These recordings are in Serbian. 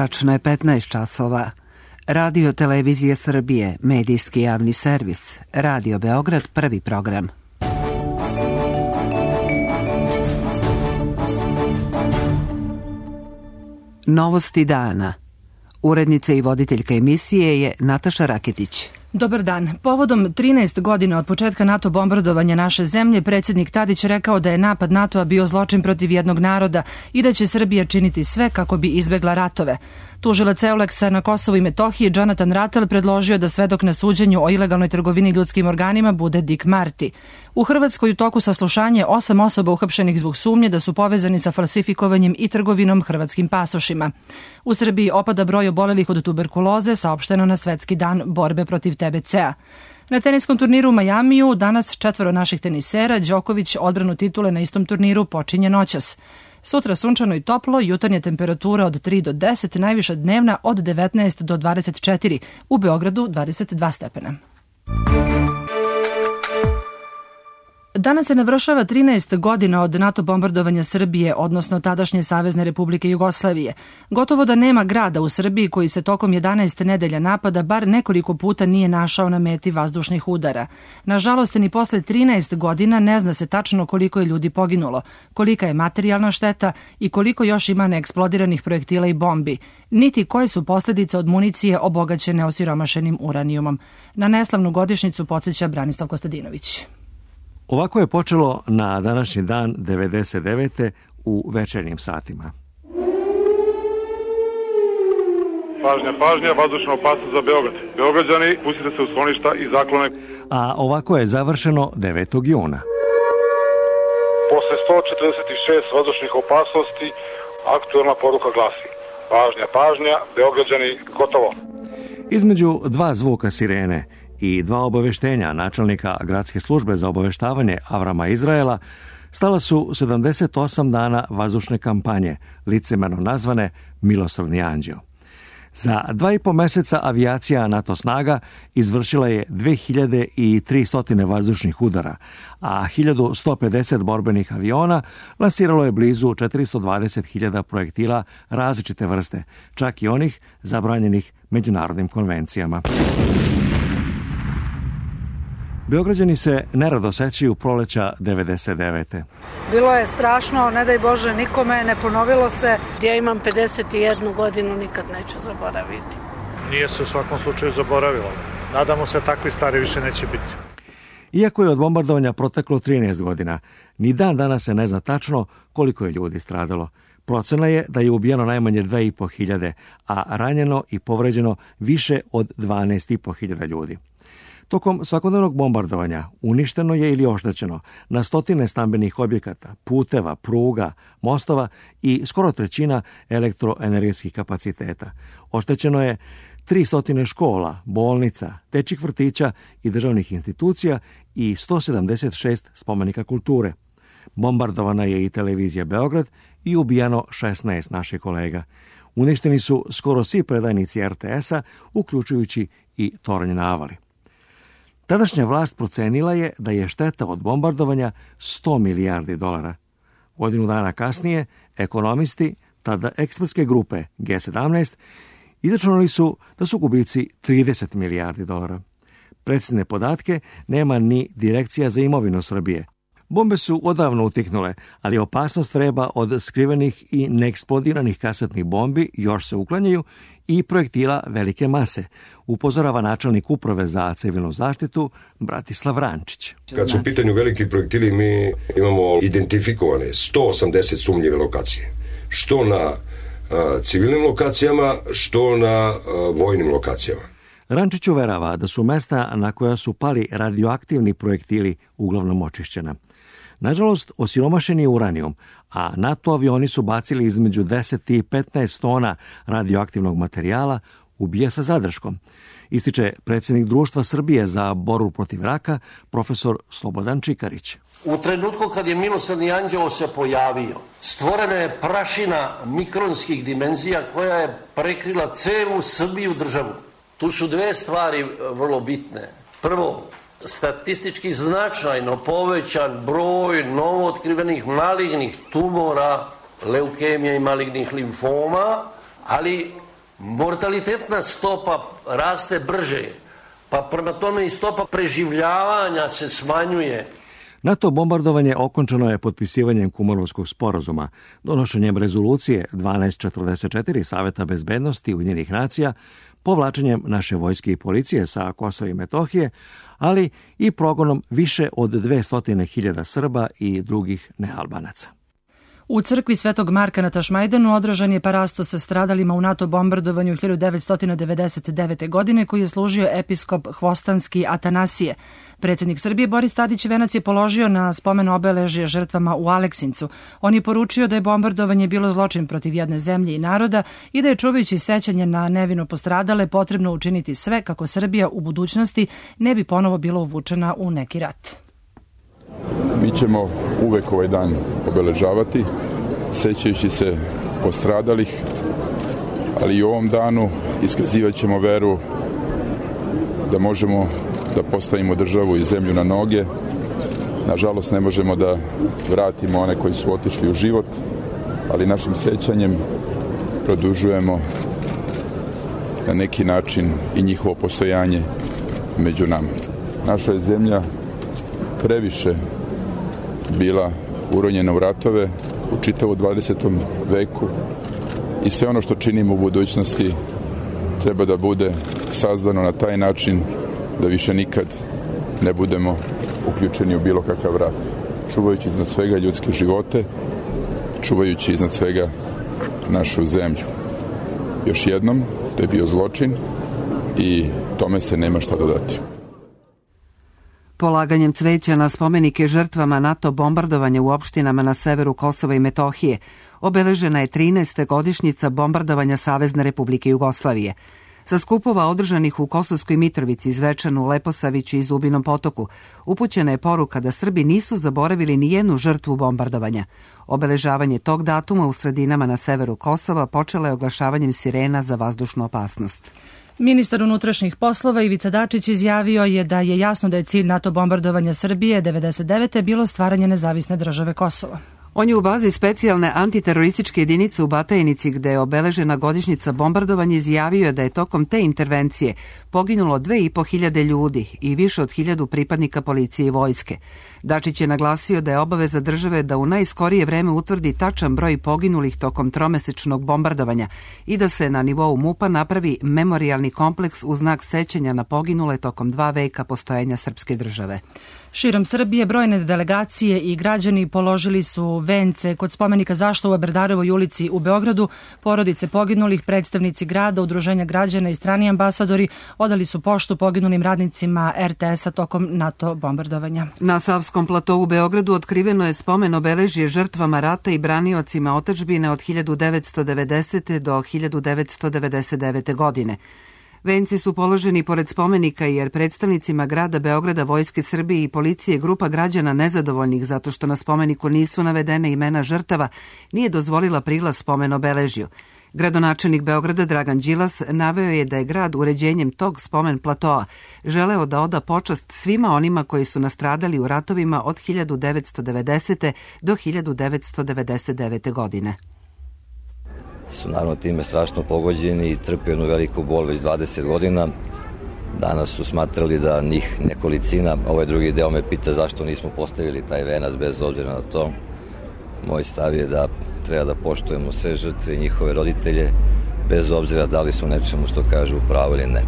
Tačno je 15 časova. Radio Televizije Srbije, medijski javni servis. Radio Beograd, prvi program. Novosti dana. Urednica i voditeljka emisije je Nataša Raketić. Dobar dan. Povodom 13 godina od početka NATO bombardovanja naše zemlje, predsjednik Tadić rekao da je napad NATO-a bio zločin protiv jednog naroda i da će Srbija činiti sve kako bi izbegla ratove. Tužilac Euleksa na Kosovu i Metohiji Jonathan Rattel predložio da svedok na suđenju o ilegalnoj trgovini ljudskim organima bude Dick Marty. U Hrvatskoj u toku saslušanja 8 osoba uhapšenih zbog sumnje da su povezani sa falsifikovanjem i trgovinom hrvatskim pasošima. U Srbiji opada broj obolelih od tuberkuloze, saopšteno na Svetski dan borbe protiv TBC-a. Na teniskom turniru u Majamiju danas 4 naših tenisera, Đoković odbranu titule na istom turniru počinje noćas. Sutra sunčano i toplo, jutarnja temperatura od 3 do 10, najviša dnevna od 19 do 24, u Beogradu 22 stepena. Danas se navršava 13 godina od NATO bombardovanja Srbije, odnosno tadašnje Savezne Republike Jugoslavije. Gotovo da nema grada u Srbiji koji se tokom 11 nedelja napada bar nekoliko puta nije našao na meti vazdušnih udara. Nažalost, ni posle 13 godina ne zna se tačno koliko je ljudi poginulo, kolika je materijalna šteta i koliko još ima neeksplodiranih projektila i bombi, niti koje su posljedice od municije obogaćene osiromašenim uranijumom. Na neslavnu godišnjicu podsjeća Branislav Kostadinović. Ovako je počelo na današnji dan 99. u večernjim satima. Pažnja, vazdušna opasnost za Beograd. Beograđani, pustite se u skloništa i zaklone. A ovako je završeno 9. juna. Posle 146 vazdušnih opasnosti, aktuelna poruka glasi: pažnja, Beograđani, gotovo. Između dva zvuka sirene i dva obaveštenja načelnika Gradske službe za obaveštavanje Avrama Izraela stala su 78 dana vazdušne kampanje, licemerno nazvane Milosrdni anđeo. Za 2,5 meseca avijacija NATO snaga izvršila je 2300 vazdušnih udara, a 1150 borbenih aviona lansiralo je blizu 420.000 projektila različite vrste, čak i onih zabranjenih međunarodnim konvencijama. Beograđani se nerado sećaju proleća 99. Bilo je strašno, ne daj Bože nikome, ne ponovilo se. Ja imam 51 godinu, nikad neću zaboraviti. Nije se u svakom slučaju zaboravilo. Nadamo se takvi stvari više neće biti. Iako je od bombardovanja proteklo 13 godina, ni dan danas se ne zna tačno koliko je ljudi stradalo. Procena je da je ubijeno najmanje 2.500, a ranjeno i povređeno više od 12.500 ljudi. Tokom svakodnevnog bombardovanja uništeno je ili oštećeno na stotine stambenih objekata, puteva, pruga, mostova i skoro trećina elektroenergetskih kapaciteta. Oštećeno je 300 škola, bolnica, dečjih vrtića i državnih institucija i 176 spomenika kulture. Bombardovana je i televizija Beograd i ubijano 16 naših kolega. Uništeni su skoro svi predajnici RTS-a, uključujući i Tornje na Avali. Tadašnja vlast procenila je da je šteta od bombardovanja $100 milijardi. Godinu dana kasnije, ekonomisti, tada ekspertske grupe G17, izračunali su da su gubici $30 milijardi. Precizne podatke nema ni Direkcija za imovinu Srbije. Bombe su odavno utihnule, ali opasnost vreba od skrivenih i neeksplodiranih kasetnih bombi još se uklanjaju i projektila velike mase, upozorava načelnik uprave za civilnu zaštitu Bratislav Rančić. Kad su u pitanju veliki projektili, mi imamo identifikovane 180 sumnjive lokacije. Što na civilnim lokacijama, što na vojnim lokacijama. Rančić uverava da su mesta na koja su pali radioaktivni projektili uglavnom očišćena. Nažalost, osiromašen je uranijum, a NATO avioni su bacili između 10 i 15 tona radioaktivnog materijala, ubija sa zadrškom, ističe predsjednik Društva Srbije za borbu protiv raka, profesor Slobodan Čikarić. U trenutku kad je Milosrdni anđeo se pojavio, stvorena je prašina mikronskih dimenzija koja je prekrila celu Srbiju državu. Tu su dve stvari vrlo bitne. Prvo, statistički značajno povećan broj novootkrivenih malignih tumora, leukemija i malignih limfoma, ali Mortalitetna stopa raste brže, pa prema tome i stopa preživljavanja se smanjuje. NATO bombardovanje okončano je potpisivanjem Kumanovskog sporazuma, donošenjem rezolucije 1244 Saveta bezbednosti Ujedinjenih nacija, povlačenjem naše vojske i policije sa Kosova i Metohije, ali i progonom više od 200.000 Srba i drugih nealbanaca. U crkvi Svetog Marka na Tašmajdanu održan je parasto sa stradalima u NATO bombardovanju 1999. godine koji je služio episkop Hvostanski Atanasije. Predsjednik Srbije Boris Tadić venac je položio na spomen obeležje žrtvama u Aleksincu. On je poručio da je bombardovanje bilo zločin protiv jedne zemlje i naroda i da je čuvajući sećanje na nevino postradale potrebno učiniti sve kako Srbija u budućnosti ne bi ponovo bila uvučena u neki rat. Mi ćemo uvek ovaj dan obeležavati, sećajući se postradalih, ali i u ovom danu iskazivat ćemo veru da možemo da postavimo državu i zemlju na noge. Nažalost, ne možemo da vratimo one koji su otišli u život, ali našim sećanjem produžujemo na neki način i njihovo postojanje među nama. Naša je zemlja previše bila uronjena u ratove u čitavu 20. veku i sve ono što činimo u budućnosti treba da bude sazdano na taj način da više nikad ne budemo uključeni u bilo kakav rat. Čuvajući iznad svega ljudske živote, čuvajući iznad svega našu zemlju. Još jednom, to je bio zločin i tome se nema šta dodati. Polaganjem cveća na spomenike žrtvama NATO bombardovanja u opštinama na severu Kosova i Metohije obeležena je 13. godišnjica bombardovanja Savezne Republike Jugoslavije. Sa skupova održanih u Kosovskoj Mitrovici, Zvečanu, Leposaviću i Zubinom Potoku upućena je poruka da Srbi nisu zaboravili ni jednu žrtvu bombardovanja. Obeležavanje tog datuma u sredinama na severu Kosova počelo je oglašavanjem sirena za vazdušnu opasnost. Ministar unutrašnjih poslova Ivica Dačić izjavio je da je jasno da je cilj NATO bombardovanja Srbije 1999. bilo stvaranje nezavisne države Kosovo. On je u bazi specijalne antiterorističke jedinice u Batajnici, gde je obeležena godišnjica bombardovanja, izjavio da je tokom te intervencije poginulo 2.500 ljudi i više od 1.000 pripadnika policije i vojske. Dačić je naglasio da je obaveza države da u najskorije vreme utvrdi tačan broj poginulih tokom tromesečnog bombardovanja i da se na nivou MUP-a napravi memorijalni kompleks u znak sećanja na poginule tokom 2 veka postojanja srpske države. Širom Srbije brojne delegacije i građani položili su vence kod spomenika Zašto u Berdarovoj ulici u Beogradu. Porodice poginulih, predstavnici grada, udruženja građana i strani ambasadori odali su poštu poginulim radnicima RTS-a tokom NATO bombardovanja. Na Savskom platou u Beogradu otkriveno je spomen obeležje žrtvama rata i braniocima otadžbine od 1990. do 1999. godine. Venci su položeni pored spomenika jer predstavnicima grada Beograda, Vojske Srbije i policije grupa građana nezadovoljnih zato što na spomeniku nisu navedene imena žrtava nije dozvolila prilaz spomen obeležju. Gradonačelnik Beograda Dragan Đilas naveo je da je grad uređenjem tog spomen platoa želeo da oda počast svima onima koji su nastradali u ratovima od 1990. do 1999. godine. Su naravno time strašno pogođeni i trpe jednu veliku bol već 20 godina. Danas su smatrali da njih nekolicina, ovaj drugi deo me pita zašto nismo postavili taj venac bez obzira na to. Moj stav je da treba da poštujemo sve žrtve i njihove roditelje bez obzira da li su nečemu što kažu u pravu ili ne.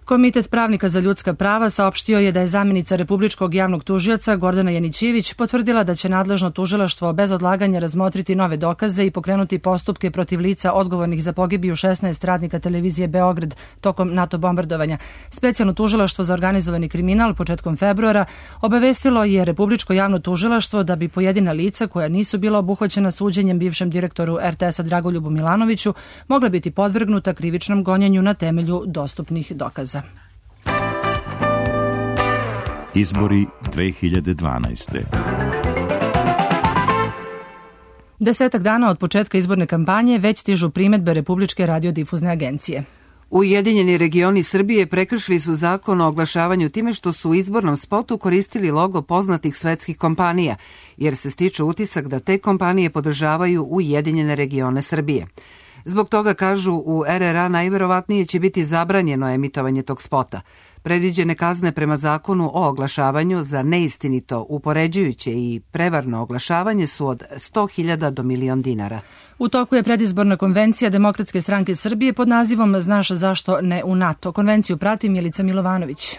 Komitet pravnika za ljudska prava saopštio je da je zamjenica Republičkog javnog tužioca Gordana Janićević potvrdila da će nadležno tužilaštvo bez odlaganja razmotriti nove dokaze i pokrenuti postupke protiv lica odgovornih za pogibiju 16 radnika televizije Beograd tokom NATO bombardovanja. Specijalno tužilaštvo za organizovani kriminal početkom februara obavestilo je Republičko javno tužilaštvo da bi pojedina lica koja nisu bila obuhvaćena suđenjem bivšem direktoru RTS-a Dragoljubu Milanoviću mogla biti podvrgnuta krivičnom gonjenju na temelju dostupnih dokaza. Izbori 2012. 10 dana od početka izborne kampanje već stižu primedbe Republičke radiodifuzne agencije. Ujedinjeni regioni Srbije prekršili su zakon o oglašavanju time što su u izbornom spotu koristili logo poznatih svetskih kompanija, jer se stiče utisak da te kompanije podržavaju Ujedinjene regione Srbije. Zbog toga, kažu u RRA, najverovatnije će biti zabranjeno emitovanje tog spota. Predviđene kazne prema zakonu o oglašavanju za neistinito, upoređujuće i prevarno oglašavanje su od 100.000 do $1.000.000. U toku je predizborna konvencija Demokratske stranke Srbije pod nazivom Znaš zašto ne u NATO. Konvenciju prati Milica Milovanović.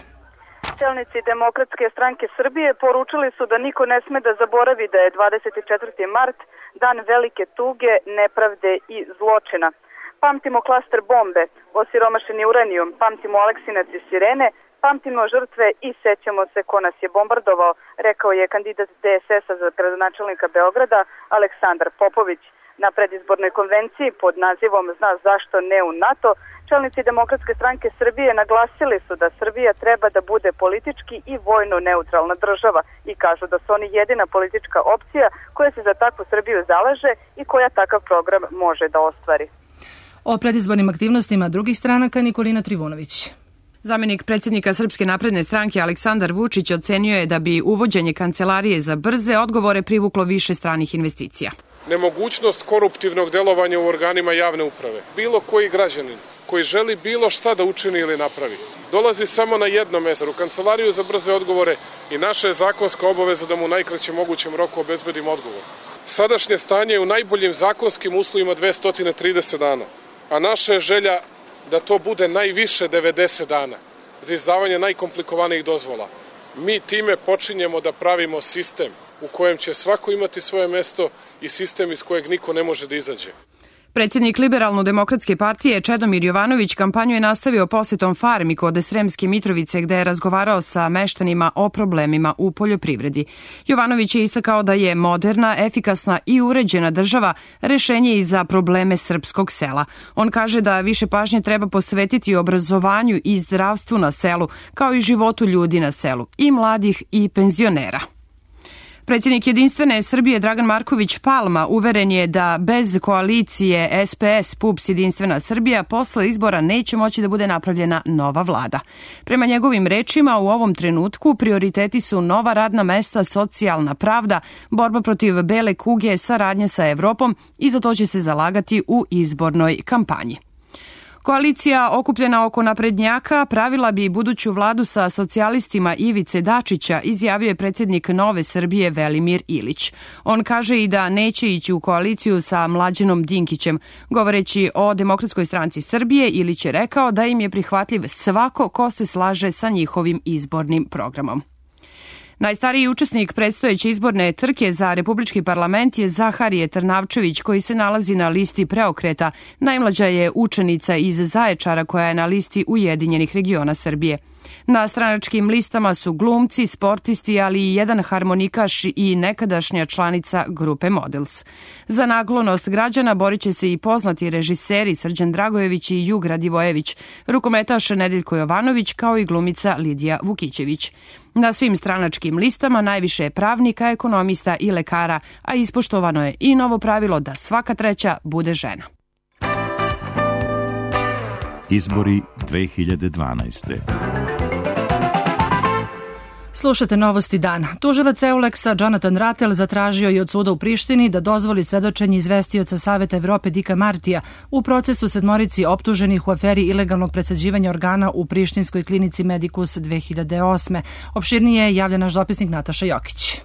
Čelnici Demokratske stranke Srbije poručili su da niko ne sme da zaboravi da je 24. mart dan velike tuge, nepravde i zločina. Pamtimo klaster bombe, osiromašeni uranijum, pamtimo Aleksinac i sirene, pamtimo žrtve i sećamo se ko nas je bombardovao, rekao je kandidat DSS-a za gradonačelnika Beograda Aleksandar Popović. Na predizbornoj konvenciji pod nazivom Zna zašto ne u NATO, čelnici Demokratske stranke Srbije naglasili su da Srbija treba da bude politički i vojno neutralna država i kažu da su oni jedina politička opcija koja se za takvu Srbiju zalaže i koja takav program može da ostvari. O predizbornim aktivnostima drugih stranaka Nikolina Trivunović. Zamenik predsjednika Srpske napredne stranke Aleksandar Vučić ocenio je da bi uvođenje kancelarije za brze odgovore privuklo više stranih investicija. Nemogućnost koruptivnog delovanja u organima javne uprave. Bilo koji građanin koji želi bilo šta da učini ili napravi, dolazi samo na jedno mesto, u kancelariju za brze odgovore, i naša je zakonska obaveza da mu u najkraćem mogućem roku obezbedimo odgovor. Sadašnje stanje je u najboljim zakonskim uslovima 230 dana, a naša je želja da to bude najviše 90 dana za izdavanje najkomplikovanijih dozvola. Mi time počinjemo da pravimo sistem u kojem će svako imati svoje mesto i sistem iz kojeg niko ne može da izađe. Predsjednik Liberalno-demokratske partije Čedomir Jovanović kampanju je nastavio posetom farmi kod Sremske Mitrovice, gde je razgovarao sa meštanima o problemima u poljoprivredi. Jovanović je istakao da je moderna, efikasna i uređena država rešenje i za probleme srpskog sela. On kaže da više pažnje treba posvetiti obrazovanju i zdravstvu na selu, kao i životu ljudi na selu, i mladih i penzionera. Predsjednik Jedinstvene Srbije Dragan Marković Palma uveren je da bez koalicije SPS, PUPS, Jedinstvena Srbija posle izbora neće moći da bude napravljena nova vlada. Prema njegovim rečima, u ovom trenutku prioriteti su nova radna mesta, socijalna pravda, borba protiv bele kuge, saradnja sa Evropom i za to će se zalagati u izbornoj kampanji. Koalicija okupljena oko naprednjaka pravila bi buduću vladu sa socijalistima Ivice Dačića, izjavio je predsjednik Nove Srbije Velimir Ilić. On kaže i da neće ići u koaliciju sa Mlađanom Dinkićem. Govoreći o Demokratskoj stranci Srbije, Ilić je rekao da im je prihvatljiv svako ko se slaže sa njihovim izbornim programom. Najstariji učesnik predstojeće izborne trke za Republički parlament je Zaharije Trnavčević, koji se nalazi na listi Preokreta. Najmlađa je učenica iz Zaječara koja je na listi Ujedinjenih regiona Srbije. Na stranačkim listama su glumci, sportisti, ali i jedan harmonikaš i nekadašnja članica grupe Models. Za naklonost građana borit će se i poznati režiseri Srđan Dragojević i Jug Radivojević, rukometaš Nedeljko Jovanović, kao i glumica Lidija Vukićević. Na svim stranačkim listama najviše je pravnika, ekonomista i lekara, a ispoštovano je i novo pravilo da svaka treća bude žena. Izbori 2012. Slušate Novosti dana. Tužilac Euleksa Jonathan Ratel zatražio je od suda u Prištini da dozvoli svedočenje izvestioca Saveta Evrope Dika Martija u procesu 7 optuženih u aferi ilegalnog presađivanja organa u prištinskoj klinici Medikus 2008. Opširnije javlja naš dopisnik Nataša Jokić.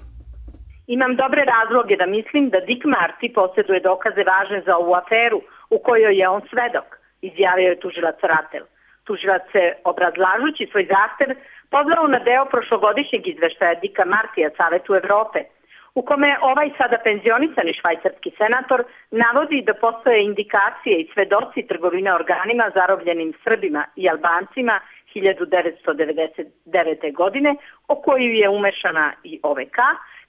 Imam dobre razloge da mislim da Dik Marti posjeduje dokaze važne za ovu aferu u kojoj je on svedok, izjavio je tužilac Ratel. Tužilac se, obrazlažući svoj zahtev, pozvao na deo prošlogodišnjeg izveštaja Dika Martija Savetu Evrope, u kome ovaj sada penzionisani švajcarski senator navodi da postoje indikacije i svedoci trgovine organima zarobljenim Srbima i Albancima 1999. godine, o koju je umešana i OVK,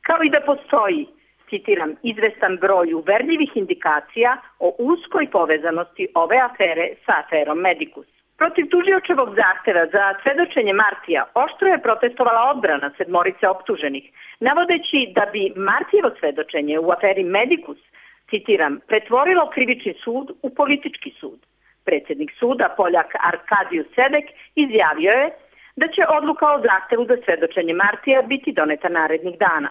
kao i da postoji, citiram, izvestan broj uverljivih indikacija o uskoj povezanosti ove afere sa aferom Medikus. Protiv tužiočevog zahteva za svedočenje Martija oštro je protestovala odbrana 7 optuženih, navodeći da bi Martijevo svedočenje u aferi Medikus, citiram, pretvorilo krivični sud u politički sud. Predsjednik suda, Poljak Arkadijus Sedek, izjavio je da će odluka o zahtevu za svedočenje Martija biti doneta narednih dana.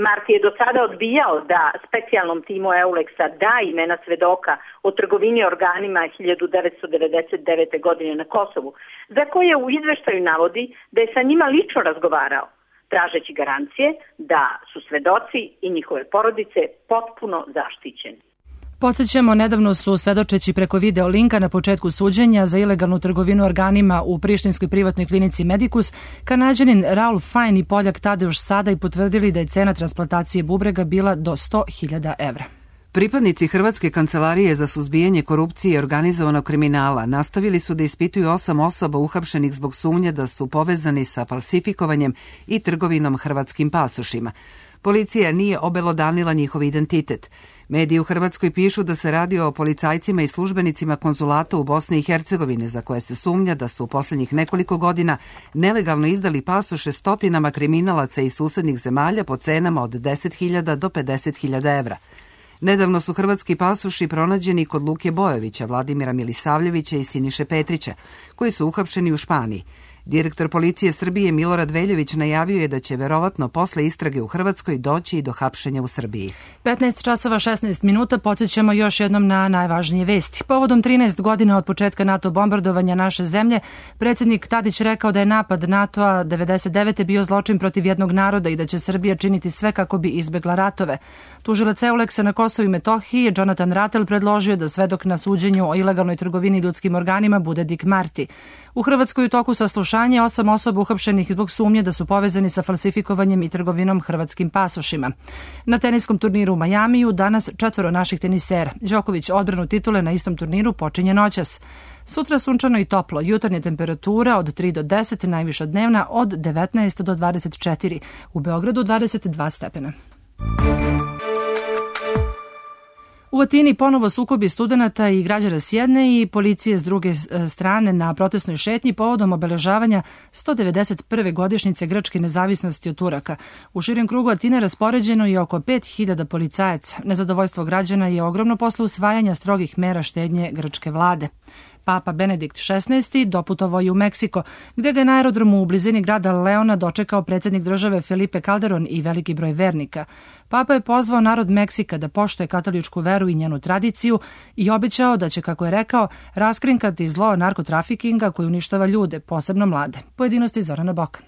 Marti je do sada odbijao da specijalnom timu Euleksa da imena svedoka o trgovini organima 1999. godine na Kosovu, za koje u izveštaju navodi da je sa njima lično razgovarao, tražeći garancije da su svedoci i njihove porodice potpuno zaštićeni. Podsećamo, nedavno su, svedočeći preko video linka na početku suđenja za ilegalnu trgovinu organima u prištinskoj privatnoj klinici Medikus, Kanađanin Raul Fajn i Poljak Tadeuš Sadaj potvrdili da je cena transplantacije bubrega bila do 100.000 evra. Pripadnici Hrvatske kancelarije za suzbijanje korupcije i organizovanog kriminala nastavili su da ispituju 8 osoba uhapšenih zbog sumnje da su povezani sa falsifikovanjem i trgovinom hrvatskim pasošima. Policija nije obelodanila njihov identitet. Mediji u Hrvatskoj pišu da se radi o policajcima i službenicima konzulata u Bosni i Hercegovini za koje se sumnja da su u posljednjih nekoliko godina nelegalno izdali pasoše stotinama kriminalaca iz susednih zemalja po cenama od 10.000 do 50.000 evra. Nedavno su hrvatski pasoši pronađeni kod Luke Bojovića, Vladimira Milisavljevića i Siniše Petrića, koji su uhapšeni u Španiji. Direktor policije Srbije Milorad Veljović najavio je da će verovatno posle istrage u Hrvatskoj doći i do hapšenja u Srbiji. 15 časova 16 minuta, podsjećamo još jednom na najvažnije vesti. Povodom 13 godina od početka NATO bombardovanja naše zemlje, predsjednik Tadić rekao da je napad NATO-a 99. bio zločin protiv jednog naroda i da će Srbija činiti sve kako bi izbegla ratove. Tužilac Euleksa na Kosovu i Metohiji, Jonathan Rattel, predložio da svedok na suđenju o ilegalnoj trgovini ljudskim organima bude Dick Marty. U Hrvatskoj u toku saslušanja 8 osoba uhapšenih zbog sumnje da su povezani sa falsifikovanjem i trgovinom hrvatskim pasošima. Na teniskom turniru u Majamiju danas 4 naših tenisera. Đoković odbranu titule na istom turniru počinje noćas. Sutra sunčano i toplo, jutarnja temperatura od 3 do 10, najviša dnevna od 19 do 24. U Beogradu 22 stepena. U Atini ponovo sukobi studenata i građana s jedne i policije s druge strane na protestnoj šetnji povodom obeležavanja 191. godišnjice grčke nezavisnosti od Turaka. U širem krugu Atine raspoređeno je oko 5.000 policajaca. Nezadovoljstvo građana je ogromno posle usvajanja strogih mera štednje grčke vlade. Papa Benedikt XVI doputovao je u Meksiko, gde ga je na aerodromu u blizini grada Leona dočekao predsjednik države Felipe Calderon i veliki broj vernika. Papa je pozvao narod Meksika da poštuje katoličku veru i njenu tradiciju i obećao da će, kako je rekao, raskrinkati zlo narkotrafikinga koji uništava ljude, posebno mlade. Pojedinosti Zorana Bokan.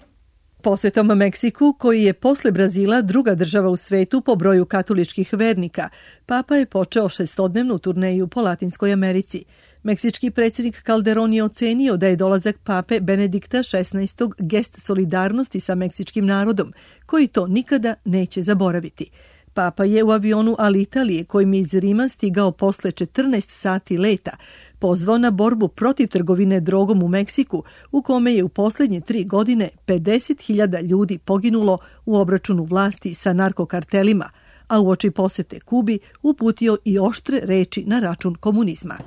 Posetom Meksiku, koji je posle Brazila druga država u svetu po broju katoličkih vernika, Papa je počeo 6-dnevnu turneju po Latinskoj Americi. Meksički predsjednik Calderon je ocenio da je dolazak pape Benedikta XVI gest solidarnosti sa meksičkim narodom, koji to nikada neće zaboraviti. Papa je u avionu Alitalije, kojim je iz Rima stigao posle 14 sati leta, pozvao na borbu protiv trgovine drogom u Meksiku, u kome je u posljednje 3 godine 50.000 ljudi poginulo u obračunu vlasti sa narkokartelima, a uoči posete Kubi uputio i oštre reči na račun komunizma.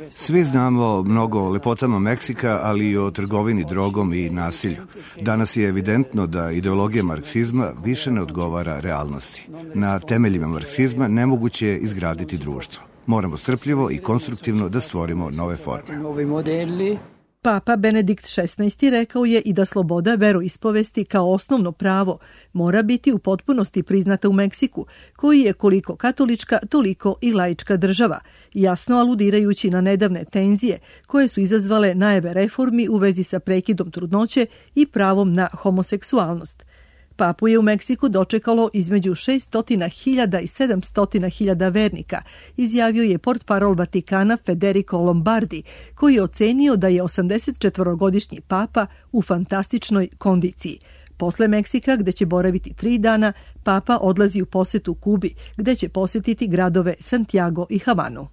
Svi znamo mnogo o lepotama Meksika, ali i o trgovini drogom i nasilju. Danas je evidentno da ideologija marksizma više ne odgovara realnosti. Na temeljima marksizma nemoguće je izgraditi društvo. Moramo strpljivo i konstruktivno da stvorimo nove forme. Papa Benedikt XVI rekao je i da sloboda veroispovesti kao osnovno pravo mora biti u potpunosti priznata u Meksiku, koji je koliko katolička, toliko i laička država, jasno aludirajući na nedavne tenzije koje su izazvale najave reformi u vezi sa prekidom trudnoće i pravom na homoseksualnost. Papu je u Meksiku dočekalo između 600.000 i 700.000 vernika, izjavio je portparol Vatikana Federico Lombardi, koji je ocenio da je 84-godišnji papa u fantastičnoj kondiciji. Posle Meksika, gde će boraviti 3 dana, papa odlazi u posetu Kubi, gde će posetiti gradove Santiago i Havanu.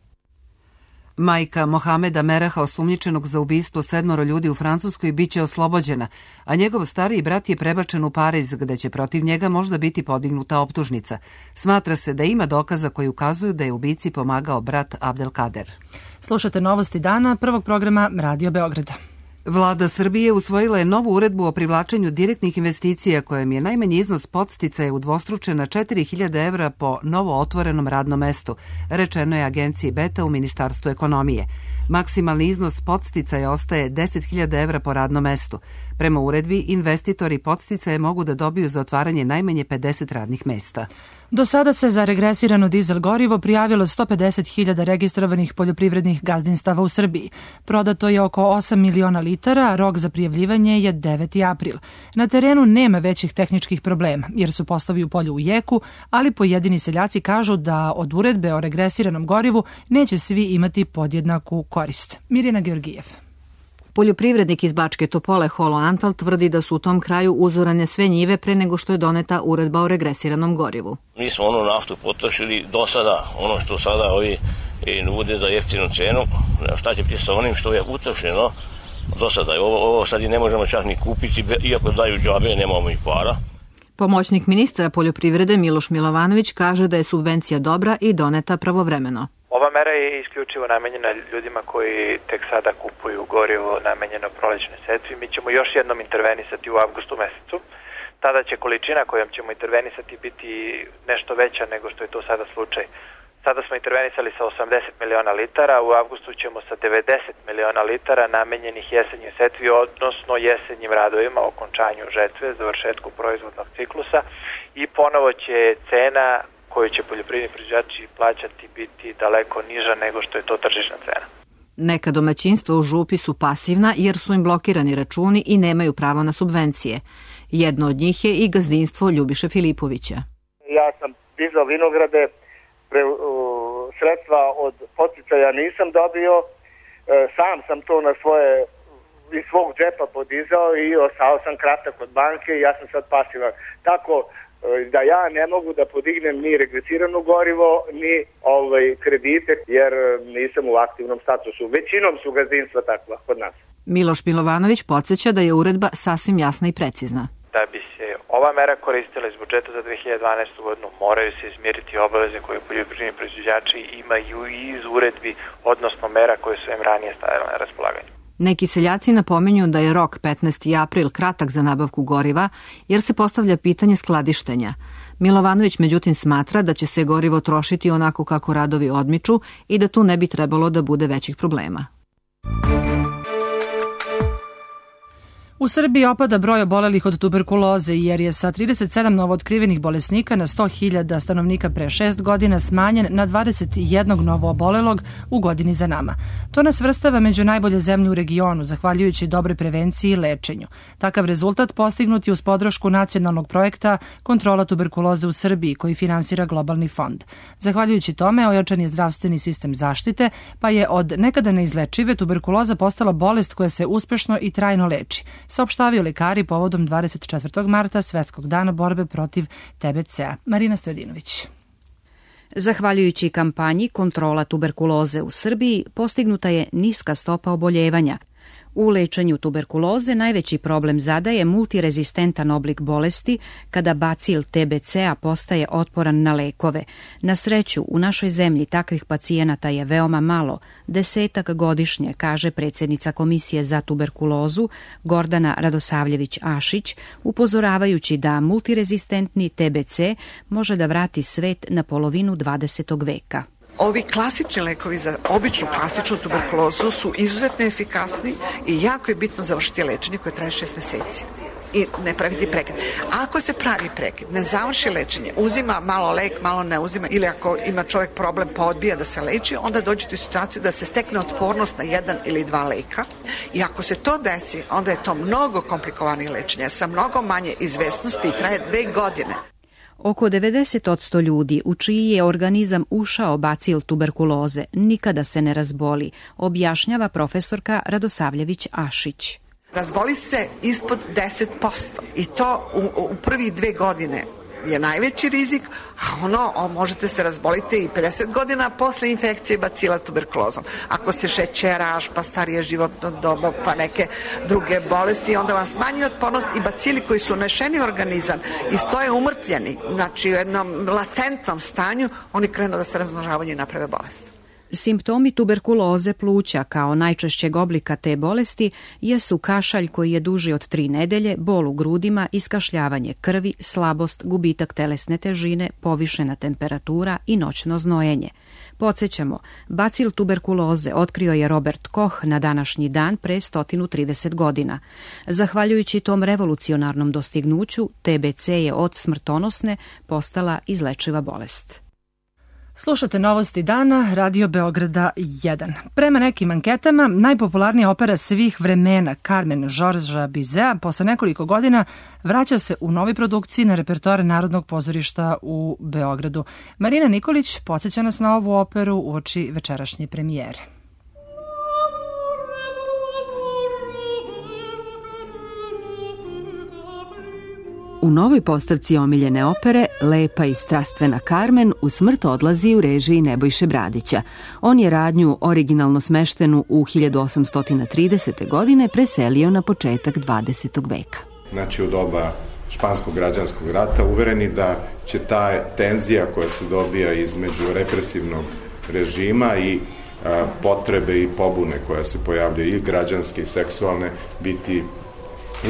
Majka Mohameda Meraha, osumnjičenog za ubistvo 7 ljudi u Francuskoj, biće oslobođena, a njegov stariji brat je prebačen u Pariz, gde će protiv njega možda biti podignuta optužnica. Smatra se da ima dokaza koji ukazuju da je ubici pomagao brat Abdelkader. Slušate novosti dana prvog programa Radio Beograda. Vlada Srbije usvojila je novu uredbu o privlačenju direktnih investicija kojom je najmanji iznos podsticaja udvostručen na 4.000 evra po novo otvorenom radnom mestu, rečeno je agenciji Beta u Ministarstvu ekonomije. Maksimalni iznos podsticaja ostaje 10.000 evra po radnom mestu. Prema uredbi, investitori podsticaje mogu da dobiju za otvaranje najmanje 50 radnih mesta. Do sada se za regresirano dizel gorivo prijavilo 150.000 registrovanih poljoprivrednih gazdinstava u Srbiji. Prodato je oko 8 miliona litara, a rok za prijavljivanje je 9. april. Na terenu nema većih tehničkih problema, jer su poslovi u polju u jeku, ali pojedini seljaci kažu da od uredbe o regresiranom gorivu neće svi imati podjednaku korist. Mirjana Georgijev. Poljoprivrednik iz Bačke Topole Holo Antal tvrdi da su u tom kraju uzorane sve njive pre nego što je doneta uredba o regresiranom gorivu. Mi smo onu naftu potrošili do sada, ono što sada ovi nude za jeftinu cenu, šta će biti sa onim što je utrošeno do sada. Ovo sad i ne možemo čak ni kupiti, iako daju džabe, nemamo i para. Pomoćnik ministra poljoprivrede Miloš Milovanović kaže da je subvencija dobra i doneta pravovremeno. Ova mera je isključivo namenjena ljudima koji tek sada kupuju gorivo namenjeno prolećnoj setvi. Mi ćemo još jednom intervenisati u avgustu mesecu. Tada će količina kojom ćemo intervenisati biti nešto veća nego što je to sada slučaj. Sada smo intervenisali sa 80 miliona litara, u avgustu ćemo sa 90 miliona litara namenjenih jesenjoj setvi, odnosno jesenjim radovima, okončanju žetve, završetku proizvodnog ciklusa i ponovo će cena koju će poljoprivredni proizvođači plaćati biti daleko niža nego što je to tržišna cena. Neka domaćinstva u župi su pasivna jer su im blokirani računi i nemaju pravo na subvencije. Jedno od njih je i gazdinstvo Ljubiše Filipovića. Ja sam dizao vinograde, sredstva od podsticaja nisam dobio, sam sam to na iz svog džepa podizao i ostao sam kratak od banke i ja sam sad pasivan. Tako da ja ne mogu da podignem ni regresirano gorivo, ni kredite, jer nisam u aktivnom statusu. Većinom su gazdinstva takva kod nas. Miloš Milovanović podsjeća da je uredba sasvim jasna i precizna. Da bi se ova mera koristila iz budžeta za 2012. godinu, moraju se izmiriti obaveze koje poljoprivredni proizvođači imaju i iz uredbi, odnosno mera koje su im ranije stavile na raspolaganje. Neki seljaci napominju da je rok 15. april kratak za nabavku goriva, jer se postavlja pitanje skladištenja. Milovanović međutim smatra da će se gorivo trošiti onako kako radovi odmiču i da tu ne bi trebalo da bude većih problema. U Srbiji opada broj obolelih od tuberkuloze jer je sa 37 novootkrivenih bolesnika na 100.000 stanovnika pre 6 godina smanjen na 21 novo obolelog u godini za nama. To nas svrstava među najbolje zemlje u regionu, zahvaljujući dobre prevenciji i lečenju. Takav rezultat postignut je uz podršku nacionalnog projekta Kontrola tuberkuloze u Srbiji, koji finansira Globalni fond. Zahvaljujući tome, ojačan je zdravstveni sistem zaštite, pa je od nekada neizlečive tuberkuloza postala bolest koja se uspešno i trajno leči, saopštavaju lekari povodom 24. marta, Svetskog dana borbe protiv TBC-a. Marina Stojadinović. Zahvaljujući kampanji Kontrola tuberkuloze u Srbiji, postignuta je niska stopa oboljevanja. U lečenju tuberkuloze najveći problem zadaje multirezistentan oblik bolesti kada bacil TBC-a postaje otporan na lekove. Na sreću, u našoj zemlji takvih pacijenata je veoma malo, 10 godišnje, kaže predsjednica Komisije za tuberkulozu Gordana Radosavljević-Ašić, upozoravajući da multirezistentni TBC može da vrati svet na polovinu 20. veka. Ovi klasični lekovi za običnu klasičnu tuberkulozu su izuzetno efikasni i jako je bitno završiti lečenje koje traje 6 meseci i ne praviti prekid. Ako se pravi prekid, ne završi lečenje, uzima malo lek, malo ne uzima, ili ako ima čovjek problem pa odbija da se leči, onda dođete u situaciju da se stekne otpornost na 1 ili 2 leka i ako se to desi, onda je to mnogo komplikovanije lečenje sa mnogo manje izvesnosti i traje 2 godine. Oko 90% ljudi u čiji je organizam ušao bacil tuberkuloze nikada se ne razboli, objašnjava profesorka Radosavljević-Ašić. Razboli se ispod 10% i to u prvih 2 godine je najveći rizik, a možete se razboliti i 50 godina posle infekcije bacila tuberkulozom. Ako ste šećeraš, pa starije životno doba, pa neke druge bolesti, onda vam smanji otpornost i bacili koji su unešeni u organizam i stoje umrtljeni, znači u jednom latentnom stanju, oni krenu da se razmnožavaju i naprave bolest. Simptomi tuberkuloze pluća kao najčešćeg oblika te bolesti jesu kašalj koji je duži od 3 nedelje, bol u grudima, iskašljavanje krvi, slabost, gubitak telesne težine, povišena temperatura i noćno znojenje. Podsjećamo, bacil tuberkuloze otkrio je Robert Koch na današnji dan pre 130 godina. Zahvaljujući tom revolucionarnom dostignuću, TBC je od smrtonosne postala izlečiva bolest. Slušate novosti dana, Radio Beograda 1. Prema nekim anketama, najpopularnija opera svih vremena, Carmen Georgesa Bizeta, posle nekoliko godina vraća se u novoj produkciji na repertoare Narodnog pozorišta u Beogradu. Marina Nikolić podsjeća nas na ovu operu uoči večerašnje premijere. U novoj postavci omiljene opere, lepa i strastvena Carmen u smrt odlazi u režiji Nebojše Bradića. On je radnju originalno smeštenu u 1830. godine preselio na početak 20. veka. Znači u doba Španskog građanskog rata uvereni da će ta tenzija koja se dobija između represivnog režima i potrebe i pobune koja se pojavljaju i građanske i seksualne biti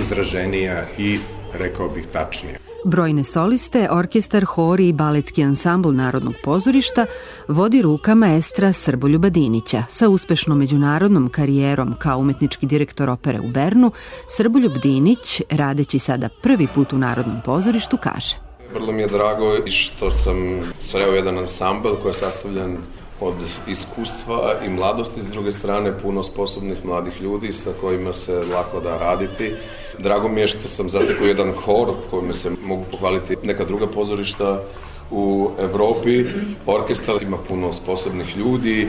izraženija i rekao bih tačnije. Brojne soliste, orkestar, hori i baletski ansambl Narodnog pozorišta vodi ruka maestra Srboljuba Dinića. Sa uspešnom međunarodnom karijerom kao umetnički direktor opere u Bernu, Srboljub Dinić, radeći sada prvi put u Narodnom pozorištu, kaže: Vrlo mi je drago što sam sreo jedan ansambl koji je sastavljen od iskustva i mladosti, s druge strane puno sposobnih mladih ljudi sa kojima se lako da raditi. Drago mi je što sam zatekao jedan hor kojima se mogu pohvaliti neka druga pozorišta u Evropi. Orkestar ima puno sposobnih ljudi,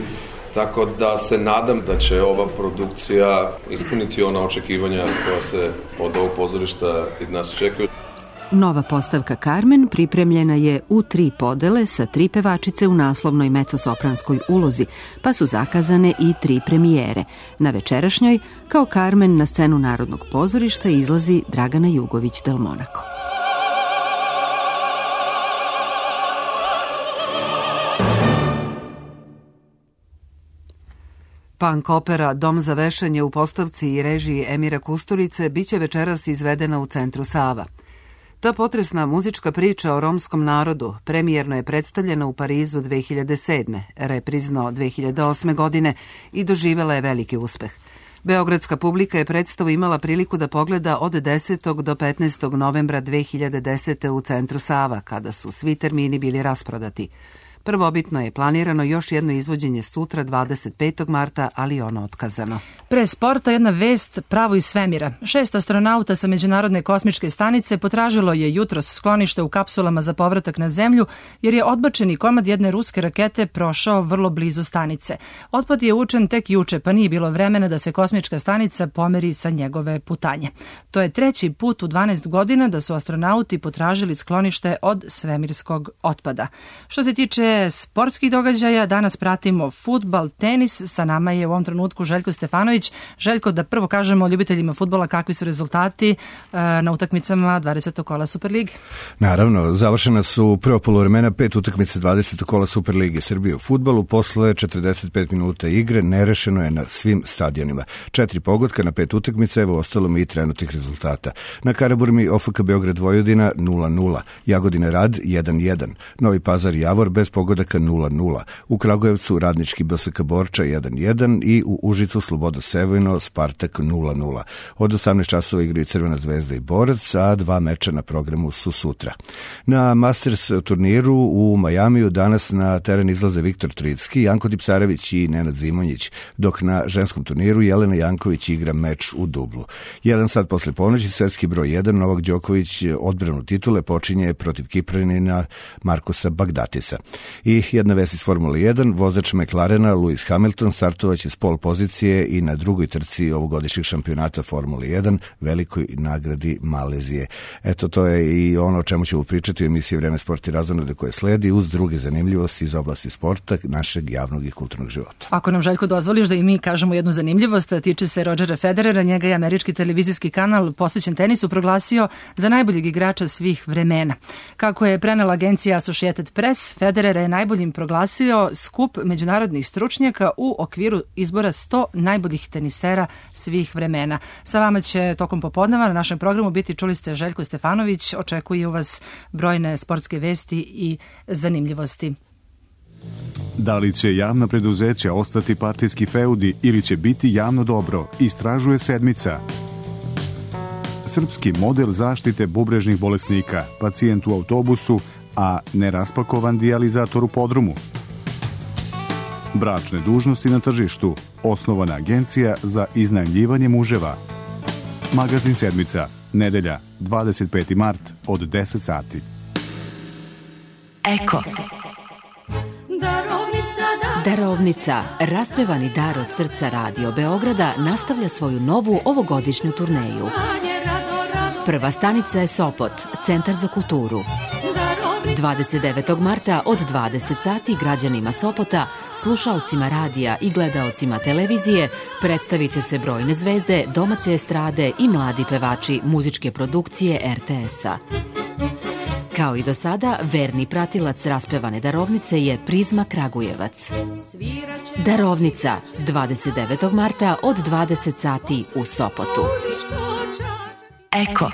tako da se nadam da će ova produkcija ispuniti ona očekivanja koja se od ovog pozorišta i nas čekaju. Nova postavka Carmen pripremljena je u 3 podele sa 3 pevačice u naslovnoj mecosopranskoj ulozi, pa su zakazane i 3 premijere. Na večerašnjoj, kao Carmen na scenu Narodnog pozorišta, izlazi Dragana Jugović del Monaco. Punk opera Dom za vešanje u postavci i režiji Emira Kusturice biće večeras izvedena u centru Sava. Ta potresna muzička priča o romskom narodu premijerno je predstavljena u Parizu 2007. reprizno 2008. godine i doživela je veliki uspeh. Beogradska publika je predstavu imala priliku da pogleda od 10. do 15. novembra 2010. u centru Sava, kada su svi termini bili rasprodati. Prvobitno je planirano još jedno izvođenje sutra 25. marta, ali ono otkazano. Pre sporta jedna vest pravo iz svemira. 6 astronauta sa Međunarodne kosmičke stanice potražilo je jutros sklonište u kapsulama za povratak na Zemlju, jer je odbačeni komad jedne ruske rakete prošao vrlo blizu stanice. Otpad je učen tek juče, pa nije bilo vremena da se kosmička stanica pomeri sa njegove putanje. To je 3. put u 12 godina da su astronauti potražili sklonište od svemirskog otpada. Što se tiče sportskih događaja, danas pratimo fudbal, tenis. Sa nama je u ovom trenutku Željko Stefanović. Željko, da prvo kažemo ljubiteljima fudbala kakvi su rezultati na utakmicama 20. kola Superlige. Naravno, završena su prvo poluvremena 5 utakmice 20. kola Superlige Srbije u fudbalu. Posle 45 minuta igre nerešeno je na svim stadionima. 4 pogotka na 5 utakmica, evo ostalo mi i trenutnih rezultata. Na Karaburmi OFK Beograd Vojvodina 0-0, Jagodina Rad 1-1, Novi Pazar Javor bez pogodaka 0-0, u Kragujevcu Radnički BSK Borča 1-1 i u Užicu Sloboda Sevojno Spartak 0-0. Od 18 časova igraju Crvena zvezda i Borac, a 2 meča na programu su sutra. Na Masters turniru u Majamiju danas na teren izlaze Viktor Tricki, Janko Tipsarević i Nenad Zimonjić, dok na ženskom turniru Jelena Janković igra meč u dublu. 1 sat posle ponoći svetski broj 1 Novak Đoković odbranu titule počinje protiv Kipranina Markosa Bagdatisa. I jedna vest iz Formule 1, vozač McLarena Lewis Hamilton startovaće s pol pozicije i na drugoj trci ovogodišnjeg šampionata Formule 1, velikoj nagradi Malezije. Eto, to je i ono o čemu ćemo pričati u emisiji Vreme, sport i razonode koje sledi, uz druge zanimljivosti iz oblasti sporta, našeg javnog i kulturnog života. Ako nam, Željko, dozvoliš da i mi kažemo jednu zanimljivost, tiče se Rodgera Federera, njega je američki televizijski kanal posvećen tenisu proglasio za najboljeg igrača svih vremena. Kako je prenela agencija Associated Press, Federer kada je najboljim proglasio skup međunarodnih stručnjaka u okviru izbora 100 najboljih tenisera svih vremena. Sa vama će tokom popodneva na našem programu biti, čuli ste, Željko Stefanović. Očekuju vas brojne sportske vesti i zanimljivosti. Da li će javna preduzeća ostati partijski feudi ili će biti javno dobro, istražuje Sedmica. Srpski model zaštite bubrežnih bolesnika, pacijent u autobusu, a neraspakovan dijalizator u podrumu. Bračne dužnosti na tržištu, osnovana agencija za iznajmljivanje muževa. Magazin Sedmica, nedelja, 25. mart od 10 sati. Eko. Darovnica, raspevani dar od srca Radio Beograda, nastavlja svoju novu ovogodišnju turneju. Prva stanica je Sopot, Centar za kulturu. 29. marta od 20 sati građanima Sopota, slušaocima radija i gledaocima televizije predstavit će se brojne zvezde, domaće estrade i mladi pevači muzičke produkcije RTS-a. Kao i do sada, verni pratilac raspevane darovnice je Prizma Kragujevac. Darovnica, 29. marta od 20 sati u Sopotu. Eko.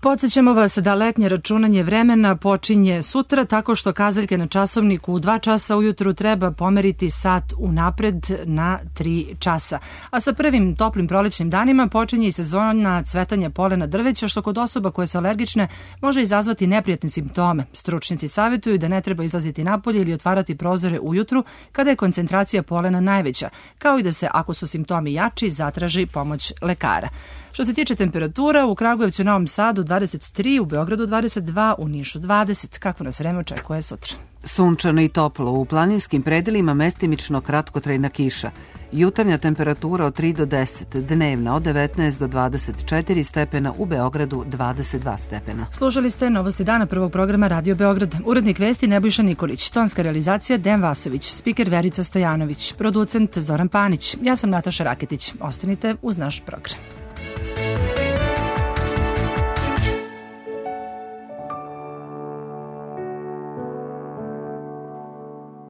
Podsjećamo vas da letnje računanje vremena počinje sutra tako što kazaljke na časovniku u 2 časa ujutru treba pomeriti sat unapred na 3 časa. A sa prvim toplim prolećnim danima počinje i sezona cvetanja polena drveća, što kod osoba koje su alergične može izazvati neprijatne simptome. Stručnjaci savjetuju da ne treba izlaziti napolje ili otvarati prozore ujutru kada je koncentracija polena najveća, kao i da se, ako su simptomi jači, zatraži pomoć lekara. Što se tiče temperatura, u Kragujevcu i Novom Sadu 23, u Beogradu 22, u Nišu 20. Kako nas vreme očekuje sutra? Sunčano i toplo, u planinskim predelima mestimično kratkotrajna kiša. Jutarnja temperatura od 3 do 10, dnevna od 19 do 24 stepena, u Beogradu 22 stepena. Slušali ste novosti dana prvog programa Radio Beograd. Urednik vesti Nebojša Nikolić, tonska realizacija Dejan Vasović, spiker Verica Stojanović, producent Zoran Panić. Ja sam Nataša Raketić. Ostanite uz naš program.